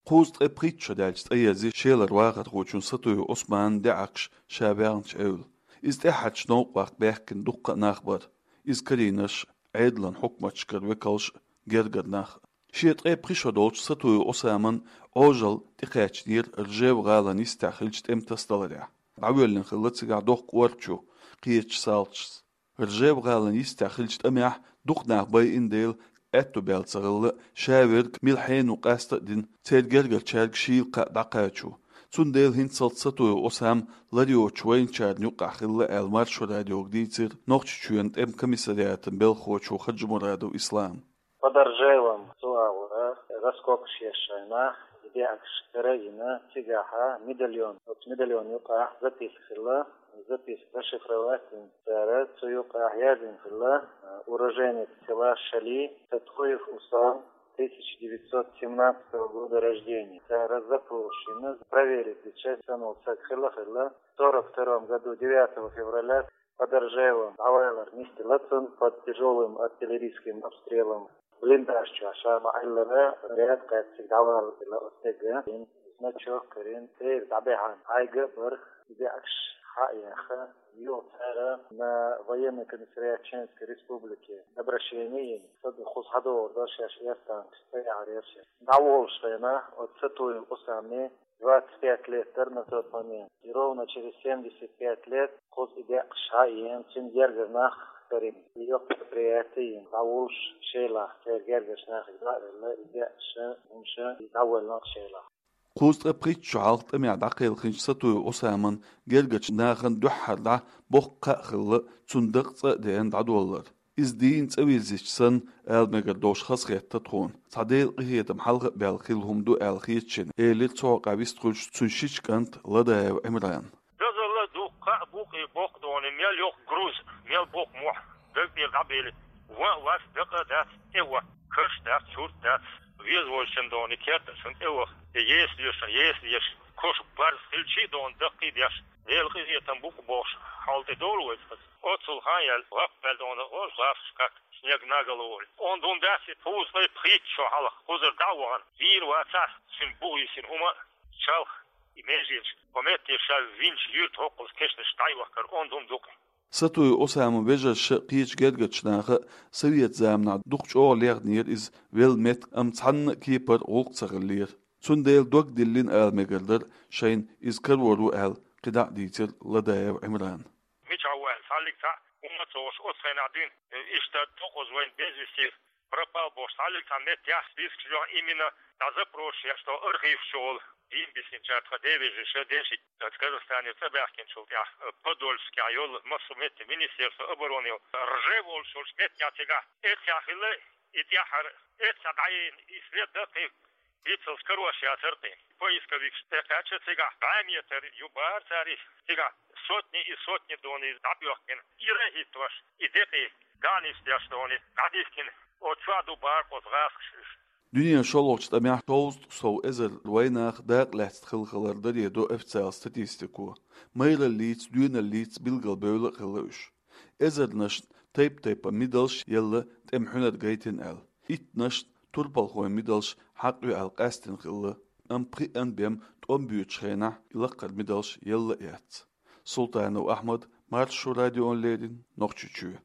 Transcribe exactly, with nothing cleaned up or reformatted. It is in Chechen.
Кхузткъе пхийтта шо даьлча цӀаерза Шелара вахархочун Сатуев Ӏусманан даьӀахкаш ша ваьхнача Ӏуйрийла. Иза тӀаьххьарча новкъа ваккха баьхкина дуккха а нах бар. Иза карийнарш, Ӏедалан хьукматашкара векалш, гергара нах. Шен ткъе пхи шо долча Сатуев Ӏусаман Ӏожалла тӀекхаьчнера Ржев-гӀалан йистехь хиллача тӀема тасадаларехь. ДӀавоьллина хилла цигахь доккха кӀорачу, кхечу салташца. Ржев-гӀалан йистехь хиллача тӀамехь дукха нах байина дела, аьтто баьлла ца хилла, ша верг мила хьенан ву къаста а дина, церан гергарчаьрга шийла кхаъ дӀакхачо. Цундела хӀинццалц Сатуев Ӏусам лар йоцучу вайначарна юкъахь хилла аьлла, Маршо радиога дийцира Нохчийчоьнан тӀеман комиссариатан белхахочо Хаджимурадов Ислама. Под Ржевом цу агӀора раскопкаш еш шайна, и даьӀахкаш карийна, цигахь медальон, оцу медальон юкъахь записка хилла, записка расшифровать дина цара, цу юкъахь яздина хилла, уроженец села Шали, Сатуев Ӏусам, тысяча девятьсот семнадцатого года рождения. Цара запрос йина, проверить дича санал саг хилла-хилла, в сорок втором году, девятого февраля, под Ржевом дӀавалар нисделла цунна под тяжёлым артиллерийским обстрелом. Блиндаж чохь ша ма-Ӏиллара, снаряд кхаьчча дӀавалла оцу стеган, значок карийна, церан дӀабаьхьна хьайга а бара, и даьӀахкаш хьа а яьхна, юха цара на военный комиссариат Чеченской Республики обращение йина, сан кхуза хьадогӀур дара шаьш, эрсанаш ца яхьар яра шаьш. ДӀаволуш хенахь, оцу Сатуев Ӏусаман двадцать пять лет дара на тот момент. И ровно через семьдесят пять лет кхуза и даьӀахкаш хьаеана, цуьнан гергара нах карийна. И йоккха мероприятие йина, дӀаволуш Шелахь, церан гергарчу нахе дӀа а велла, и даьӀахкаш, хӀумаш, и дӀавоьллина Шелахь. Кхузткъе пхийтта шо хьалха тӀамехь дӀакхелхинчу Сатуев Ӏусаман гергарчу нахана дуьххьара дӀа боккха кхаъ хилла, цунна дакъа цӀа а деана дӀадоллар. Иза дийна цӀа вирзича санна, ала мегар долуш хазахетта тхуна. Цхьа Делан къинхетам хьалха а баьлла хилла хӀума ду аьлла хета шена, элира цу хьокъехь вистхуьлуш цуьнан шича кӀанта Ладаев Ӏимрана. Дозалла дуккха а бу-кх и боккха доне, мел йоккха груз, мел боккха мохь, даг тӀера дӀабели, ван а вац, дакъа а дац, тӀе а ван, карш дац, чурт дац, веза волчун доне, керта шун тӀе а ваха, тӀе еса дешан, еса деш, кош барз хилчий а доне, даккхий а деш, Делан къинхетам бу-кх бохуш, хьал тӀе долу вай цкъа. Оццул хан яьлла, лап мел доне, оцу лафаш как снег на голову. Онда хӀума дац и, кхузткъе пхийтта шо хьалха кхузара дӀа а вахана, вийр вацахь, цуьнан бух йисина хӀума чалх и меженаш, кху метте ша винчу юьрта хӀокхуза кешнаш дӀайохкар, онда хӀума ду-кх. Сатуев Ӏусаман вежарша а, кхечу гергарчу наха а совет заманахь дукха чӀогӀа лехнера иза велла меттиг, амма цхьанна а кепара гӀуллакх ца хиллера. Цундела дог диллина ала мегар дара шайна иза карор ву аьлла, кхидӀа а дийцира Ладаев Ӏимрана. Мичахь ву аьлла, цхьаллиг цхьаъ хӀумма а ца хууш, оцу хенахь дуьйна, иштта дукхаза вайн без вести пропал бохуш, цхьаллиг цхьа меттехь спискаш йоху, именно дӀа запрос еш, тхо архиваш чу волу, дийна бисинчара тхан ден вежарша, деши, Казахстанера цӀа баьхкинчул тӀаьхьа, Подольскехь йолу массо а метте, Министерство обороны йолу, Ржев олуш йолчу меттехь цигахь, эццехь хилла и тӀаьххьара, эццехь дӀаена и след даккхий, Иццалц карош яцара кхин. Поисковикаш тӀекхаьчча цигахь, бӀе метр ю бара цара иза. Цигахь сотни и сотни доне иза дӀабоьхкина. Ира а хӀиттош, и декъий, дӀа а нисдеш доне, дӀадихкина. Оцу чохь ду бара оцу гӀазкхаша иза. Дуьненан шолгӀачу тӀамехь шовзткъа сов эзар вайнах дакъа лаьцна хилла хилар даре до официал статистико. Майраллица, доьналлица билгалбевлла а хилла уьш. Эзарнашна тайп-тайпана мидалш елла тӀеман хьуьнар гайтина аьлла. Иттанашна турпалхойн мидалш хьакъ ю аьлла къаьстина хилла, амма пхиъанна бен тӀом боьдучу хенахь и лаккхара мидалш елла а яц. Султанов Ахьмад, Маршо радиона леррина, Нохчийчоь.